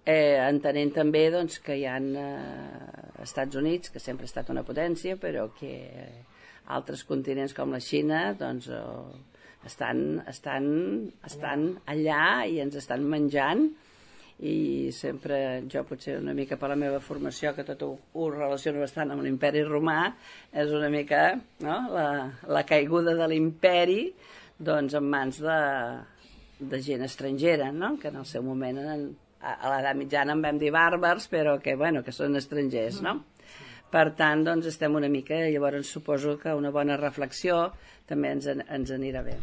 entenent també doncs, que hi ha Estats Units, que sempre ha estat una potència, però que altres continents com la Xina doncs, estan allà i ens estan menjant, i sempre jo, potser una mica per la meva formació, que tot ho relaciono bastant amb l'imperi romà, és una mica, no? la caiguda de l'imperi doncs, en mans de gent estrangera, no? Que en el seu moment a l'edat mitjana en vam dir bàrbars, però que, bueno, que són estrangers, no? Per tant, doncs estem una mica, llavors suposo que una bona reflexió també ens anirà bé.